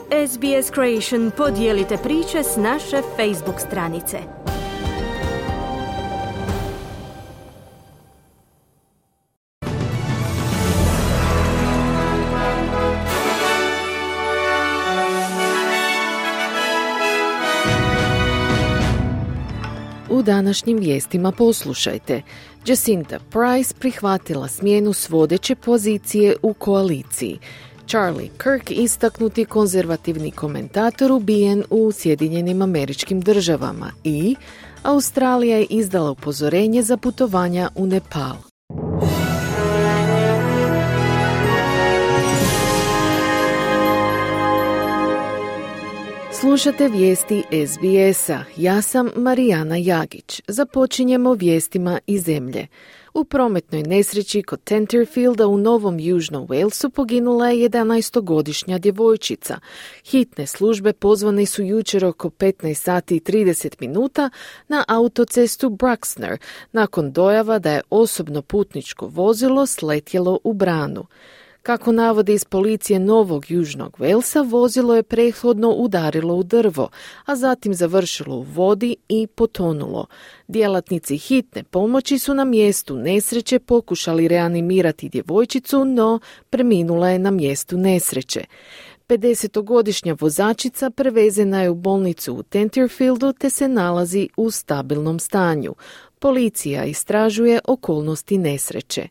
SBS Creation, podijelite priče s naše Facebook stranice. U današnjim vijestima poslušajte. Jacinta Price prihvatila smjenu s vodeće pozicije u koaliciji. Charlie Kirk, istaknuti konzervativni komentator, ubijen u Sjedinjenim Američkim Državama i Australija je izdala upozorenje za putovanja u Nepal. Slušate vijesti SBS-a. Ja sam Marijana Jagić. Započinjemo vijestima iz zemlje. U prometnoj nesreći kod Tenterfielda u Novom Južnom Walesu poginula je 11-godišnja djevojčica. Hitne službe pozvane su jučer oko 15 sati i 30 minuta na autocestu Bruxner nakon dojava da je osobno putničko vozilo sletjelo u branu. Kako navode iz policije Novog Južnog Walesa, vozilo je prethodno udarilo u drvo, a zatim završilo u vodi i potonulo. Djelatnici hitne pomoći su na mjestu nesreće pokušali reanimirati djevojčicu, no preminula je na mjestu nesreće. 50-godišnja vozačica prevezena je u bolnicu u Tenterfieldu te se nalazi u stabilnom stanju. Policija istražuje okolnosti nesreće.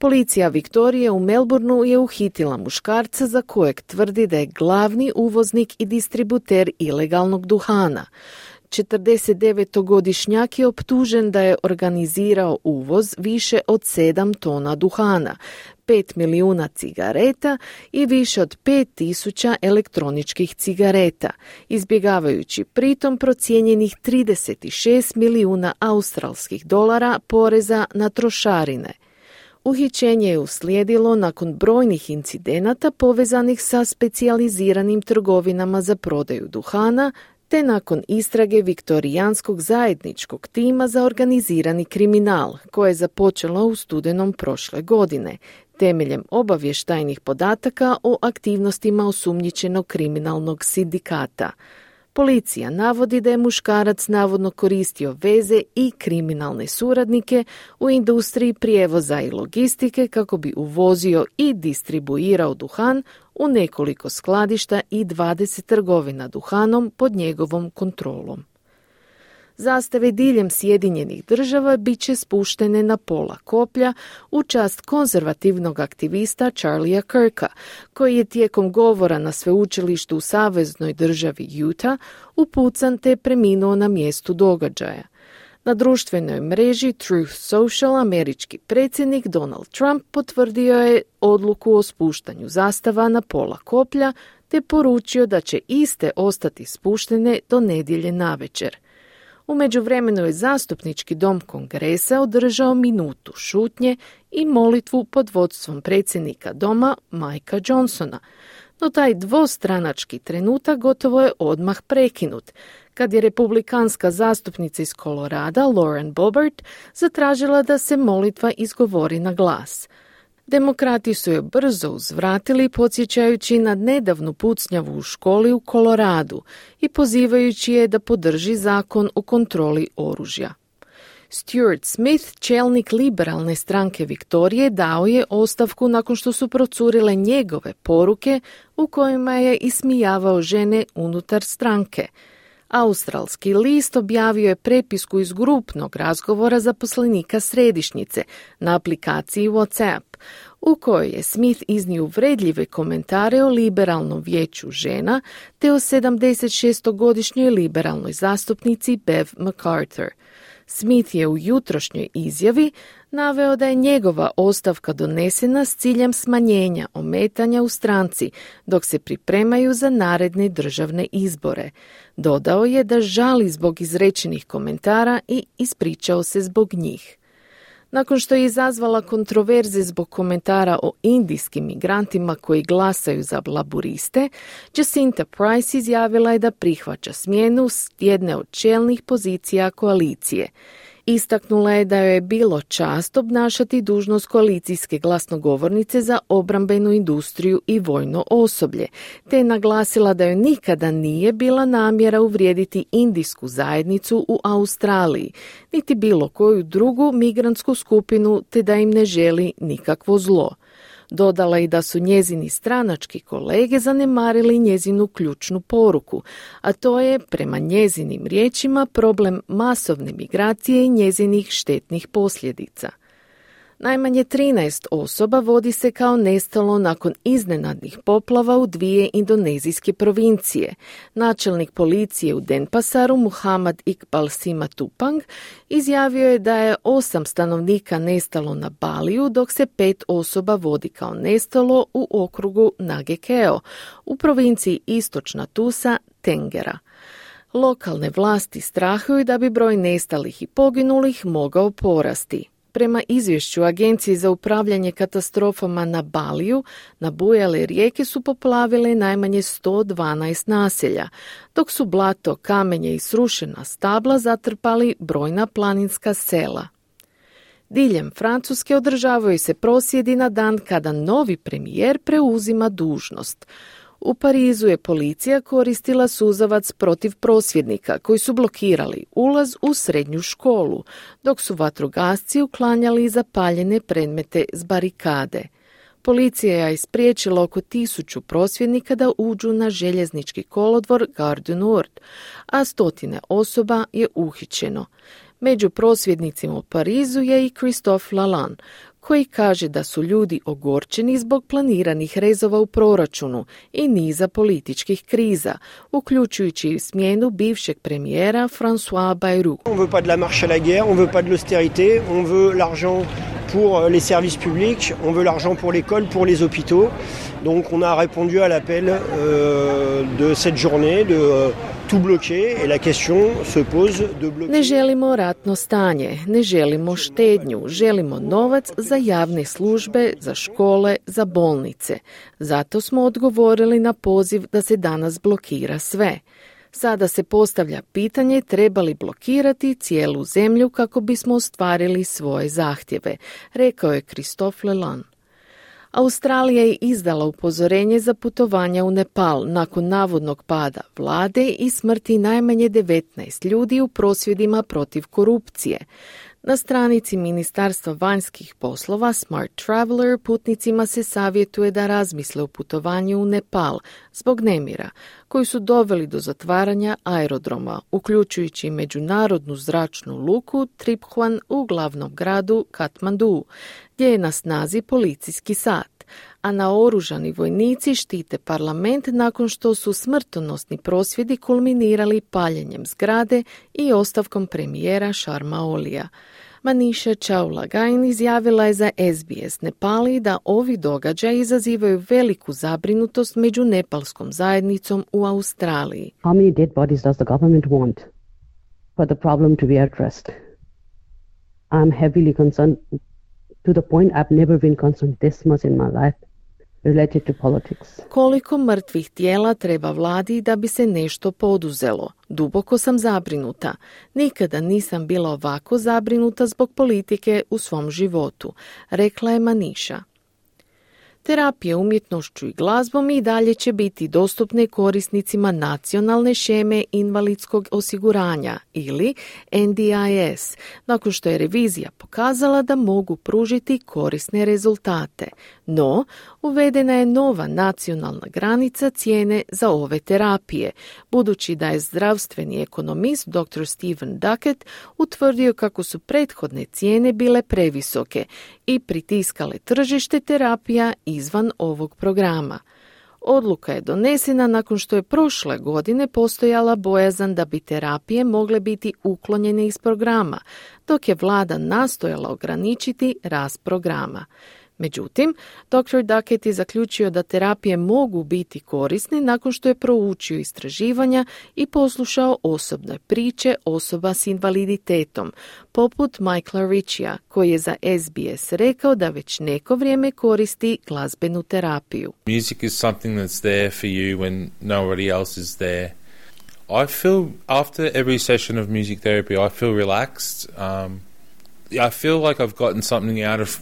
Policija Viktorije u Melbourneu je uhitila muškarca za kojeg tvrdi da je glavni uvoznik i distributer ilegalnog duhana. 49-godišnjak je optužen da je organizirao uvoz više od 7 tona duhana, 5 milijuna cigareta i više od 5.000 elektroničkih cigareta, izbjegavajući pritom procijenjenih 36 milijuna australskih dolara poreza na trošarine. Uhićenje je uslijedilo nakon brojnih incidenata povezanih sa specijaliziranim trgovinama za prodaju duhana, te nakon istrage Viktorijanskog zajedničkog tima za organizirani kriminal, koje je započelo u studenom prošle godine, temeljem obavještajnih podataka o aktivnostima osumnjičenog kriminalnog sindikata. Policija navodi da je muškarac navodno koristio veze i kriminalne suradnike u industriji prijevoza i logistike kako bi uvozio i distribuirao duhan u nekoliko skladišta i 20 trgovina duhanom pod njegovom kontrolom. Zastave diljem Sjedinjenih Država bit će spuštene na pola koplja u čast konzervativnog aktivista Charlie'a Kirka, koji je tijekom govora na sveučilištu u saveznoj državi Utah upucan te preminuo na mjestu događaja. Na društvenoj mreži Truth Social američki predsjednik Donald Trump potvrdio je odluku o spuštanju zastava na pola koplja te poručio da će iste ostati spuštene do nedjelje navečer. U međuvremenu je zastupnički dom Kongresa održao minutu šutnje i molitvu pod vodstvom predsjednika doma Mikea Johnsona, no taj dvostranački trenutak gotovo je odmah prekinut, kad je republikanska zastupnica iz Kolorada Lauren Boebert zatražila da se molitva izgovori na glas. Demokrati su je brzo uzvratili podsjećajući na nedavnu pucnjavu u školi u Koloradu i pozivajući je da podrži zakon o kontroli oružja. Stuart Smith, čelnik liberalne stranke Viktorije, dao je ostavku nakon što su procurile njegove poruke u kojima je ismijavao žene unutar stranke. Australski list objavio je prepisku iz grupnog razgovora zaposlenika središnjice na aplikaciji WhatsApp, u kojoj je Smith iznio uvredljive komentare o liberalnom vijeću žena te o 76-godišnjoj liberalnoj zastupnici Bev McArthur. Smith je u jutrošnjoj izjavi naveo da je njegova ostavka donesena s ciljem smanjenja ometanja u stranci dok se pripremaju za naredne državne izbore. Dodao je da žali zbog izrečenih komentara i ispričao se zbog njih. Nakon što je izazvala kontroverze zbog komentara o indijskim migrantima koji glasaju za laburiste, Jacinta Price izjavila je da prihvaća smjenu s jedne od čelnih pozicija koalicije. Istaknula je da joj je bilo čast obnašati dužnost koalicijske glasnogovornice za obrambenu industriju i vojno osoblje, te je naglasila da joj nikada nije bila namjera uvrijediti indijsku zajednicu u Australiji, niti bilo koju drugu migrantsku skupinu, te da im ne želi nikakvo zlo. Dodala i da su njezini stranački kolege zanemarili njezinu ključnu poruku, a to je, prema njezinim riječima, problem masovne migracije i njezinih štetnih posljedica. Najmanje 13 osoba vodi se kao nestalo nakon iznenadnih poplava u 2 indonezijske provincije. Načelnik policije u Denpasaru, Muhammad Iqbal Simatupang, izjavio je da je 8 stanovnika nestalo na Baliju, dok se 5 osoba vodi kao nestalo u okrugu Nagekeo, u provinciji Istočna Tusa, Tengera. Lokalne vlasti strahuju da bi broj nestalih i poginulih mogao porasti. Prema izvješću Agencije za upravljanje katastrofama na Baliju, nabujale rijeke su poplavile najmanje 112 naselja, dok su blato, kamenje i srušena stabla zatrpali brojna planinska sela. Diljem Francuske održavaju se prosvjedi na dan kada novi premijer preuzima dužnost. U Parizu je policija koristila suzavac protiv prosvjednika koji su blokirali ulaz u srednju školu, dok su vatrogasci uklanjali zapaljene predmete s barikade. Policija je spriječila oko 1000 prosvjednika da uđu na željeznički kolodvor Gare du Nord, a 100 osoba je uhićeno. Među prosvjednicima u Parizu je i Christophe Lalande, koji kaže da su ljudi ogorčeni zbog planiranih rezova u proračunu i niza političkih kriza, uključujući i smjenu bivšeg premijera François Bayrou. On veut pas de la marche à la guerre, on veut pas de l'austérité, on veut l'argent pour les services publics, on veut l'argent pour l'école, pour les hôpitaux. Donc on a répondu à l'appel de cette journée de tout bloquer et la question se pose de bloquer. Ne želimo ratno stanje, ne želimo štednju, želimo novac za javne službe, za škole, za bolnice. Zato smo odgovorili na poziv da se danas blokira sve. Sada se postavlja pitanje treba li blokirati cijelu zemlju kako bismo ostvarili svoje zahtjeve, rekao je Christophe Lalande. Australija je izdala upozorenje za putovanja u Nepal nakon navodnog pada vlade i smrti najmanje 19 ljudi u prosvjedima protiv korupcije. Na stranici Ministarstva vanjskih poslova Smart Traveler putnicima se savjetuje da razmisle o putovanju u Nepal zbog nemira, koji su doveli do zatvaranja aerodroma, uključujući međunarodnu zračnu luku Tribhuvan u glavnom gradu Katmandu, gdje je na snazi policijski sat, a naoružani vojnici štite parlament nakon što su smrtonosni prosvjedi kulminirali paljenjem zgrade i ostavkom premijera Sharma Olija. Manisha Chaulagain izjavila je za SBS Nepali da ovi događaji izazivaju veliku zabrinutost među nepalskom zajednicom u Australiji. How many dead bodies does the government want for the problem to be addressed? I'm heavily concerned to the point I've never been concerned this much in my life related to politics. Koliko mrtvih tijela treba vladi da bi se nešto poduzelo? Duboko sam zabrinuta. Nikada nisam bila ovako zabrinuta zbog politike u svom životu, rekla je Manisha. Terapije umjetnošću i glazbom i dalje će biti dostupne korisnicima nacionalne šeme invalidskog osiguranja ili NDIS, nakon što je revizija pokazala da mogu pružiti korisne rezultate. No, uvedena je nova nacionalna granica cijene za ove terapije, budući da je zdravstveni ekonomist dr. Stephen Duckett utvrdio kako su prethodne cijene bile previsoke i pritiskale tržište terapija izvan ovog programa. Odluka je donesena nakon što je prošle godine postojala bojazan da bi terapije mogle biti uklonjene iz programa, dok je vlada nastojala ograničiti rast programa. Međutim, dr. Duckett je zaključio da terapije mogu biti korisne nakon što je proučio istraživanja i poslušao osobne priče osoba s invaliditetom, poput Michaela Ritchia, koji je za SBS rekao da već neko vrijeme koristi glazbenu terapiju. Music is something that's there for you when nobody else is there. I feel after every session of music therapy, I feel relaxed. I feel like I've gotten something out of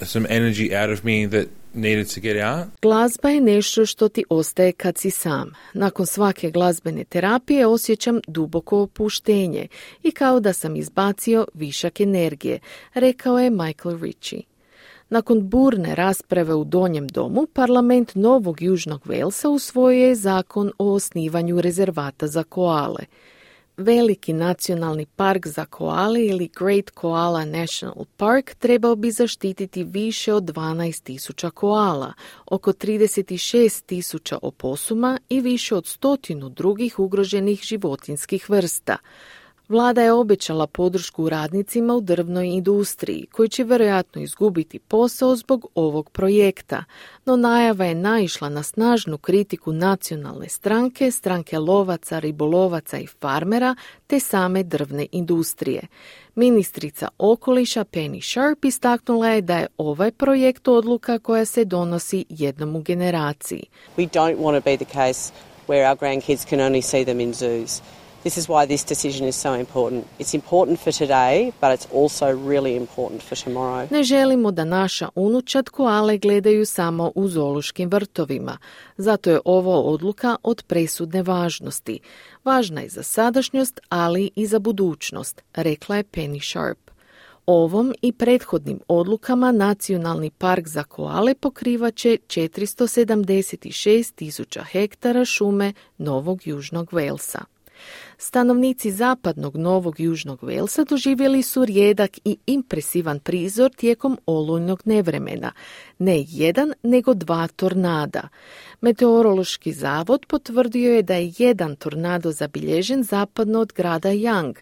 some energy out of me that needed to get out. Glazba je nešto što ti ostaje kad si sam. Nakon svake glazbene terapije osjećam duboko opuštenje i kao da sam izbacio višak energije, rekao je Michael Ritchie. Nakon burne rasprave u Donjem domu, parlament Novog Južnog Walesa usvojio je zakon o osnivanju rezervata za koale. Veliki nacionalni park za koale ili Great Koala National Park trebao bi zaštititi više od 12.000 koala, oko 36.000 oposuma i više od 100 drugih ugroženih životinjskih vrsta. Vlada je obećala podršku radnicima u drvnoj industriji, koji će vjerojatno izgubiti posao zbog ovog projekta, no najava je naišla na snažnu kritiku nacionalne stranke, stranke lovaca, ribolovaca i farmera, te same drvne industrije. Ministrica okoliša Penny Sharp istaknula je da je ovaj projekt odluka koja se donosi jednom u generaciji. We don't want to be the case where our grandkids can only see them in zoos. This is why this decision is so important. It's important for today, but it's also really important for tomorrow. Ne želimo da naša unučad koale gledaju samo u zoološkim vrtovima. Zato je ovo odluka od presudne važnosti. Važna je za sadašnjost, ali i za budućnost, rekla je Penny Sharp. Ovom i prethodnim odlukama Nacionalni park za koale pokrivaće 476.000 hektara šume Novog Južnog Walesa. Stanovnici zapadnog Novog Južnog Walesa doživjeli su rijedak i impresivan prizor tijekom olujnog nevremena. Ne jedan, nego 2 tornada. Meteorološki zavod potvrdio je da je jedan tornado zabilježen zapadno od grada Young,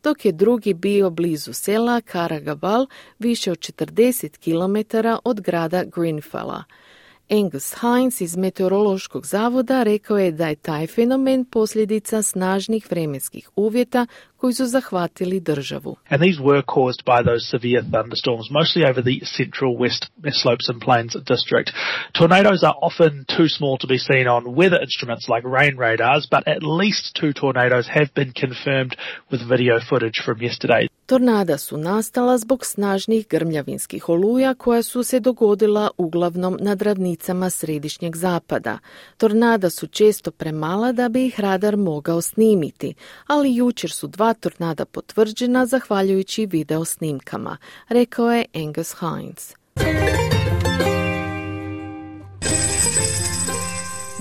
dok je drugi bio blizu sela Karagabal, više od 40 km od grada Greenfella. Angus Hines iz Meteorološkog zavoda rekao je da je taj fenomen posljedica snažnih vremenskih uvjeta koji su zahvatili državu. And these were caused by those severe thunderstorms, mostly over the central west slopes and plains district. Tornadoes are often too small to be seen on weather instruments like rain radars, but at least 2 tornadoes have been confirmed with video footage from yesterday. Tornada su nastala zbog snažnih grmljavinskih oluja koja su se dogodila uglavnom nad ravnicama središnjeg zapada. Tornada su često premala da bi ih radar mogao snimiti, ali jučer su 2 tornada potvrđena zahvaljujući video snimkama, rekao je Angus Hines.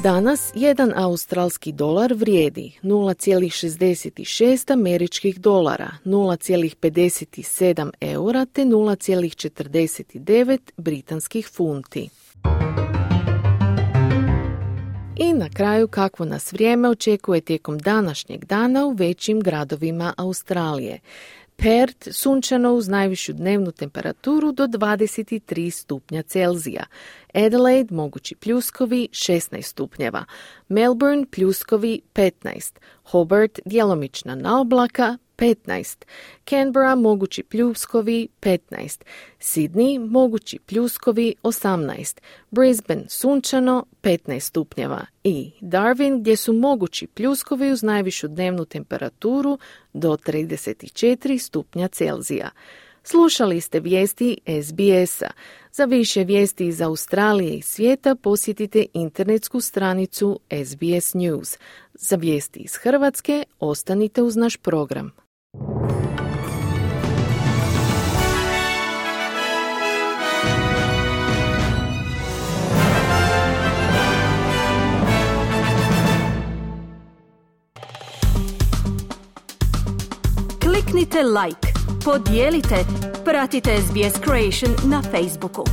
Danas jedan australski dolar vrijedi 0,66 američkih dolara, 0,57 eura te 0,49 britanskih funti. I na kraju kakvo nas vrijeme očekuje tijekom današnjeg dana u većim gradovima Australije. Perth sunčano uz najvišu dnevnu temperaturu do 23 stupnja Celzija. Adelaide mogući pljuskovi 16 stupnjeva. Melbourne pljuskovi 15. Hobart djelomična naoblaka 15. Canberra mogući pljuskovi 15. Sydney mogući pljuskovi 18. Brisbane sunčano 15 stupnjeva i Darwin gdje su mogući pljuskovi uz najvišu dnevnu temperaturu do 34 stupnja Celzija. Slušali ste vijesti SBS-a. Za više vijesti iz Australije i svijeta posjetite internetsku stranicu SBS News. Za vijesti iz Hrvatske ostanite uz naš program. Kliknite like, podijelite, pratite SBS Creation na Facebooku.